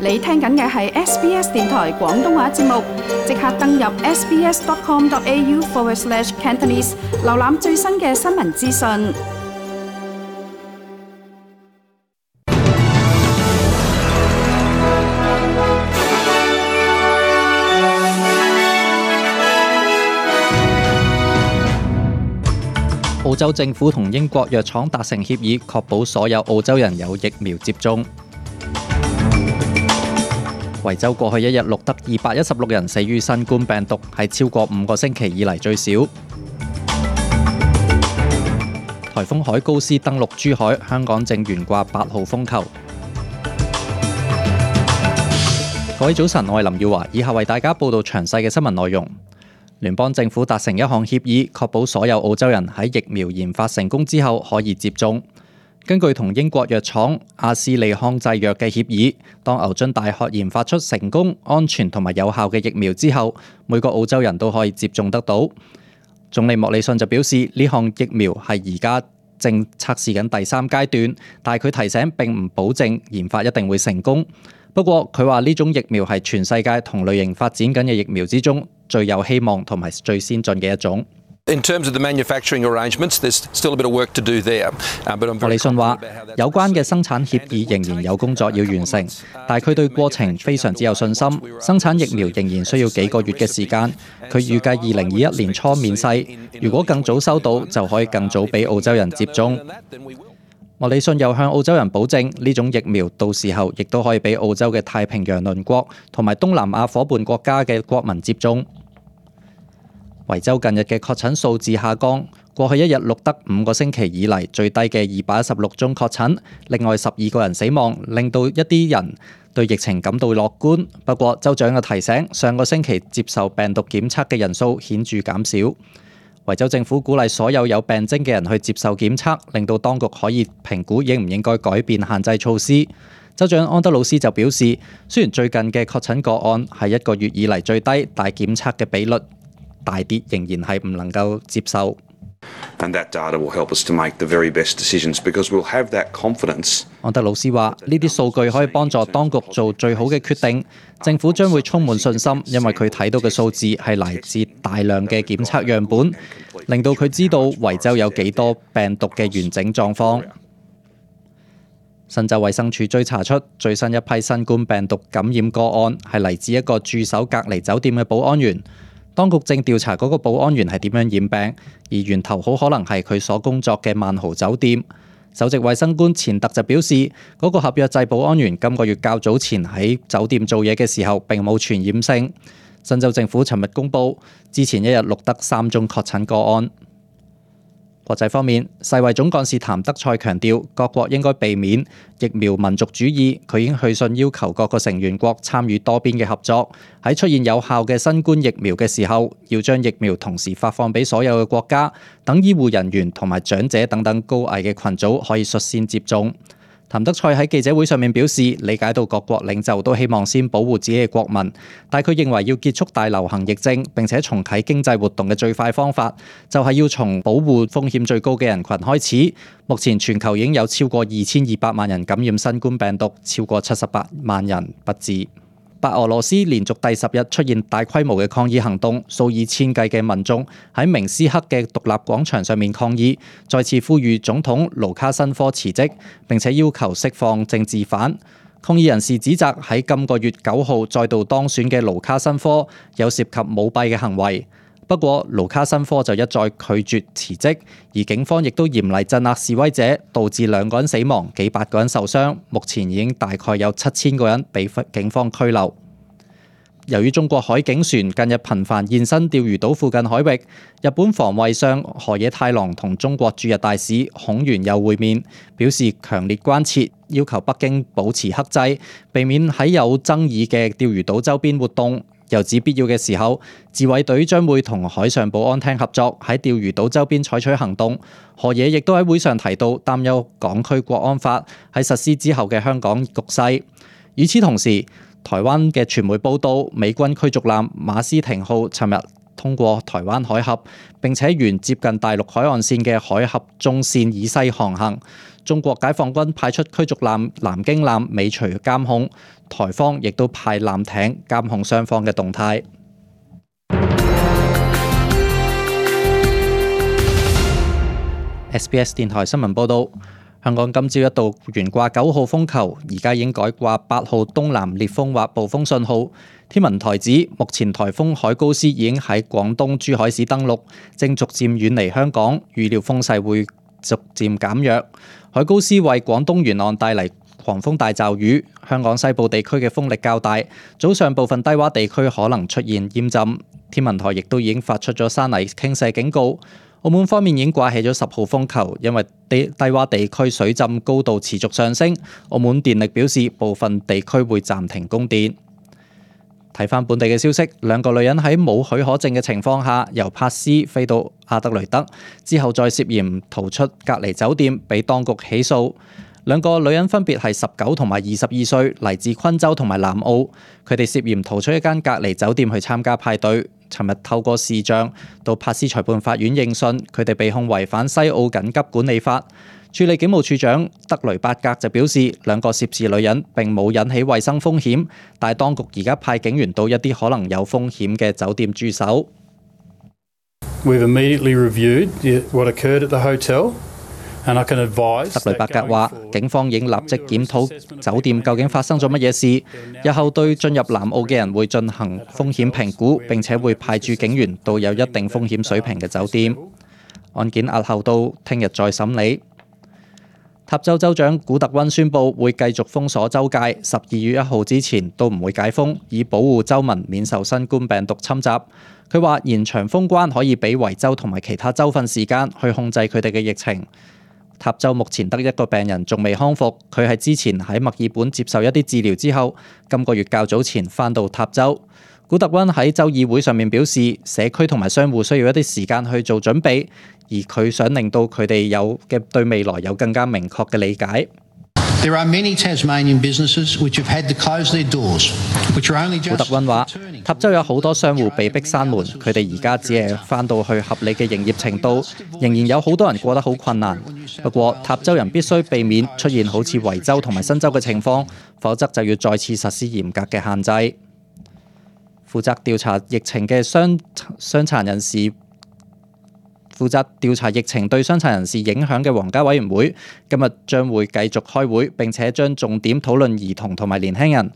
你聽緊嘅係 SBS 電台廣東話節目，即刻登入 sbs.com.au/Cantonese 瀏覽最新嘅新聞資訊。澳洲政府同英國藥廠達成協議，確保所有澳洲人有疫苗接種。維州過去一日錄得216人死於新冠病毒，係超過5個星期以嚟最少。颱風海高斯登陸珠海，香港正懸掛8號風球。各位早晨，我係林耀華，以下為大家報道詳細嘅新聞內容。聯邦政府達成一項協議，確保所有澳洲人喺疫苗研發成功之後可以接種。根據同英國藥廠阿斯利康製藥嘅協議，當牛津大學研發出成功、安全同埋有效嘅疫苗之後，每個澳洲人都可以接種得到。總理莫里遜就表示，呢項疫苗係而家正測試緊第3階段，但係佢提醒並唔保證研發一定會成功。不過佢話呢種疫苗係全世界同類型發展緊嘅疫苗之中最有希望同埋最先進嘅一種。In terms of the manufacturing arrangements, there's still a bit of work to do there. 莫里遜話，有關嘅生產協議仍然有工作要完成，但係佢對過程非常之有信心。生產疫苗仍然需要幾個月嘅時間。佢預計2021年初面世，如果更早收到，就可以更早俾澳洲人接種。莫里遜又向澳洲人保證，呢種疫苗到時候亦都可以俾澳洲嘅太平洋鄰國同埋東南亞夥伴國家嘅國民接種。維州近日嘅確診數字下降，過去一日錄得5個星期以嚟最低嘅216宗確診，另外12個人死亡，令到一啲人對疫情感到樂觀。不過州長嘅提醒，上個星期接受病毒檢測嘅人數顯著減少。維州政府鼓勵所有有病徵嘅人去接受檢測，令到當局可以評估應唔應該改變限制措施。州長安德魯斯就表示，雖然最近嘅確診個案係1個月以嚟最低，但檢測嘅比率大跌仍然係唔能夠接受。And that data will help us to make the very best decisions because we'll have that confidence. 安德魯斯話：呢啲數據可以幫助當局做最好嘅決定。政府將會充滿信心，因為佢睇到嘅數字係嚟自大量嘅檢測樣本，令到佢知道維州有幾多病毒嘅完整狀況。新州衛生署追查出最新一批新冠病毒感染個案係嚟自一個駐守隔離酒店嘅保安員。當局正調查嗰個保安員係點樣染病，而源頭好可能係佢所工作嘅萬豪酒店。首席衛生官錢特就表示，嗰個合約制保安員今個月較早前喺酒店做嘢嘅時候並冇傳染性。新州政府尋日公佈，之前一日錄得3宗確診個案。國際方面，世衛總幹事譚德塞強調，各國應該避免疫苗民族主義。佢已經去信要求各個成員國參與多邊嘅合作，喺出現有效嘅新冠疫苗嘅時候，要將疫苗同時發放俾所有嘅國家，等醫護人員同埋長者等等高危嘅群組可以率先接種。譚德塞喺記者會上面表示，理解到各國領袖都希望先保護自己嘅國民，但佢認為要結束大流行疫症並且重啟經濟活動嘅最快方法，就係要從保護風險最高嘅人群開始。目前全球已經有超過2200萬人感染新冠病毒，超過78萬人不治。白俄羅斯連續第10日出現大規模嘅抗議行動，數以千計嘅民眾喺明斯克嘅獨立廣場上面抗議，再次呼籲總統盧卡申科辭職，並且要求釋放政治犯。抗議人士指責喺今個月9號再度當選嘅盧卡申科有涉及舞弊嘅行為。不過盧卡申科就一再拒絕辭職，而警方亦都嚴厲鎮壓示威者，導致2個人死亡，幾百個人受傷。目前已經大概有7000個人被警方拘留。由於中國海警船近日頻繁現身釣魚島附近海域，日本防衛相河野太郎同中國駐日大使孔原佑會面，表示強烈關切，要求北京保持克制，避免喺有爭議嘅釣魚島周邊活動。又指必要嘅時候，自衛隊將會同海上保安廳合作，喺釣魚島周邊採取行動。河野亦都喺會上提到，擔憂港區國安法喺實施之後嘅香港局勢。與此同時，台灣嘅傳媒報道，美軍驅逐艦馬斯廷號尋日通過台灣海峽，並且沿接近大陸海岸線嘅海峽中線以西航行。中國解放軍派出驅逐艦南京艦尾隨監控，台方亦都派艦艇監控雙方嘅動態。SBS 電台新聞報導，香港今朝一度懸掛9號風球，而家已經改掛8號東南烈風或暴風信號。天文台指，目前颱風海高斯已經喺廣東珠海市登陸，正逐漸遠離香港，預料風勢會逐漸減弱。海高斯為廣東沿岸帶嚟狂風大驟雨，香港西部地區嘅風力較大，早上部分低窪地區可能出現淹浸。天文台亦都已經發出咗山泥傾瀉警告。澳門方面已經掛起咗10號風球，因為低窪地區水浸高度持續上升，澳門電力表示部分地區會暫停供電。睇返本地嘅消息，兩個女人喺冇許可證嘅情況下，由珀斯飛到阿德雷德，之後再涉嫌逃出隔離酒店，被當局起訴。兩個女人分別係19同埋22歲，嚟自昆州同埋南澳。佢哋涉嫌逃出一間隔離酒店去參加派對。尋日透過視像到珀斯裁判法院應訊，佢哋被控違反西澳緊急管理法。處理警務處長德雷伯格就表示，兩個涉事女人並冇引起衛生風險，但係當局而家派警員到一啲可能有風險嘅酒店駐守。We've immediately reviewed what occurred at the hotel. 德雷伯格話：警方已經立即檢討酒店究竟發生咗乜嘢事，日後對進入南澳嘅人會進行風險評估，並且會派駐警員到有一定風險水平嘅酒店。案件押後到聽日再審理。塔州州長古特溫宣布會繼續封鎖州界，12月1號之前都唔會解封，以保護州民免受新冠病毒侵襲。佢話延長封關可以俾維州同埋其他州份時間去控制佢哋嘅疫情。塔州目前得一個病人仲未康復，佢係之前喺墨爾本接受一啲治療之後，今個月較早前返到塔州。古特溫喺州議會上面表示，社區同埋商戶需要一啲時間去做準備，而佢想令到佢哋對未來有更加明確嘅理解。古特溫話，塔州有好多商戶被逼閂門，佢哋而家只係返到去合理嘅營業程度，仍然有好多人過得好困難。不過，塔州人必須避免出現好似維州同埋新州嘅情況，否則就要再次實施嚴格嘅限制。負責調查疫情嘅傷殘人士負責調查疫情對傷殘人士影響嘅皇家委員會今日將會繼續開會，並且將重點討論兒童同埋年輕人。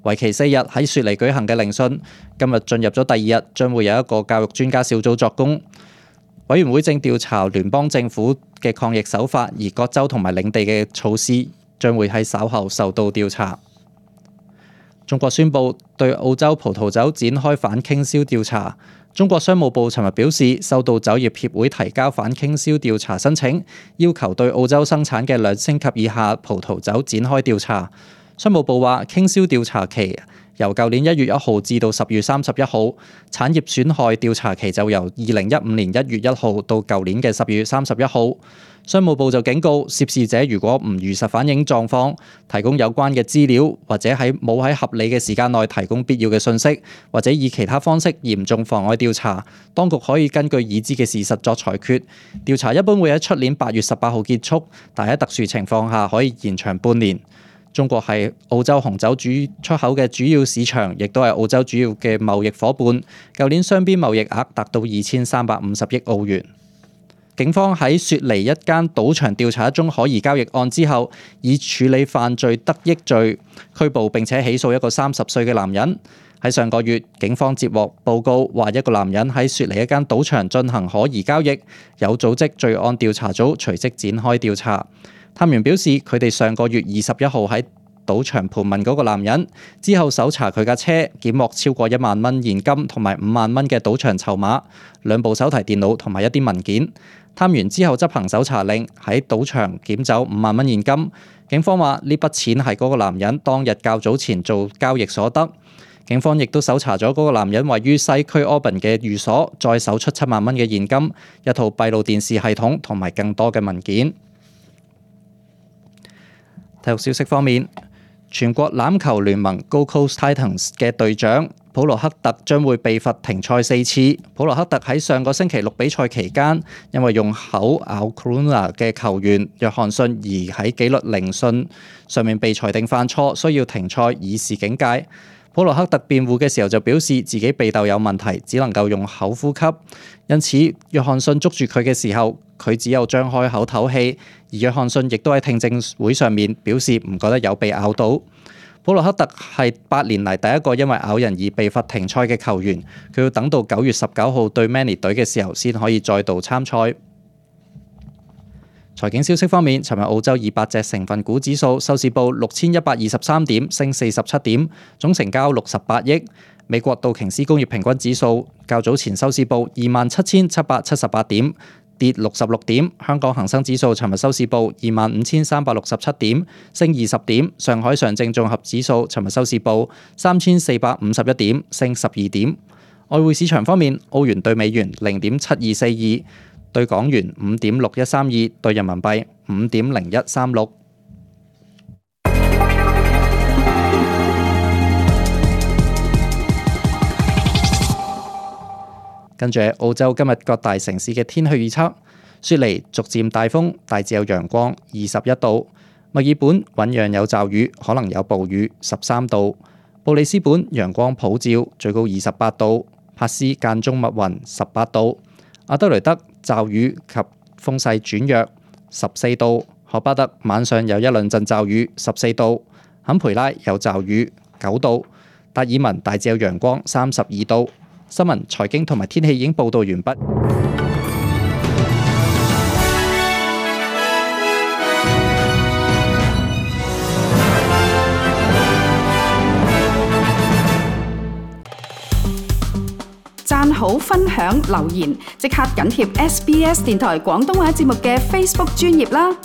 為期4日喺雪梨舉行嘅聆訊，今日進入咗第2日，將會有一個教育專家小組作供。委員會正調查聯邦政府嘅抗疫手法，而各州同埋領地嘅措施將會喺稍後受到調查。中國宣布對澳洲葡萄酒展開反傾銷調查。中國商務部尋日表示，收到酒業協會提交反傾銷調查申請，要求對澳洲生產嘅2星級以下葡萄酒展開調查。商務部話，傾銷調查期由舊年1月1號至到10月31號，產業損害調查期就由2015年1月1號到舊年嘅10月31號。商務部就警告涉事者，如果唔如實反映狀況，提供有關嘅資料，或者冇喺合理嘅時間內提供必要嘅信息，或者以其他方式嚴重妨礙調查，當局可以根據已知嘅事實作裁決。調查一般會喺出年8月18號結束，但喺特殊情況下可以延長半年。中國係澳洲紅酒出口嘅主要市場，亦都係澳洲主要嘅貿易夥伴。舊年雙邊貿易額達到2350億澳元。警方喺雪梨一間賭場調查一宗可疑交易案之後，以處理犯罪得益罪拘捕並且起訴一個30歲嘅男人。喺上個月，警方接獲報告話一個男人喺雪梨一間賭場進行可疑交易，有組織罪案調查組隨即展開調查。探員表示，佢哋上個月21號喺賭場盤問嗰個男人，之後搜查佢架車，檢獲超過1萬蚊現金同埋5萬蚊嘅賭場籌碼、2部手提電腦同埋一啲文件。探員之後執行搜查令，喺賭場檢走5萬蚊現金。警方話呢筆錢係嗰個男人當日較早前做交易所得。警方亦都搜查咗嗰個男人位於西區 Auburn 嘅寓所，再搜出7萬蚊嘅現金、一套閉路電視系統同埋更多嘅文件。體育消息方面，全國欖球聯盟 Gold Coast Titans 嘅隊長普羅克特將會被罰停賽4次。普羅克特喺上個星期六比賽期間，因為用口咬 Corona 嘅球員約翰遜而喺紀律聆訊上面被裁定犯錯，需要停賽以示警戒。普羅克特辯護嘅時候就表示自己鼻竇有問題，只能夠用口呼吸，因此約翰遜捉住佢嘅時候，佢只有張開口唞氣。而約翰遜亦都喺聽證會上面表示唔覺得有被咬到。普羅克特係8年嚟第一個因為咬人而被罰停賽嘅球員，佢要等到9月19號對 Manly 隊嘅時候先可以再度參賽。財經消息方面，尋日澳洲200隻成分股指數收市報6123點，升47點，總成交68億。美國道瓊斯工業平均指數較早前收市報27778點，跌66點。香港恒生指數尋日收市報25367點，升20點。上海上證綜合指數尋日收市報3451點，升12點。外匯市場方面，澳元對美元0.7242。對港元5.6132，對人民幣5.0136。跟住澳洲今日各大城市嘅天氣預測：雪梨逐漸大風，大致有陽光，21度；墨爾本醞釀有驟雨，可能有暴雨，13度；布里斯本陽光普照，最高28度；珀斯間中密雲，18度；阿德雷德驟雨及風勢轉弱，14度；荷巴特晚上有一兩陣驟雨，14度；坎培拉有驟雨，9度；達爾文大致有陽光，32度。新聞、財經同埋天氣已經報道完畢。讚好、分享、留言，即刻緊貼SBS 電台廣東話節目嘅 Facebook 專頁啦！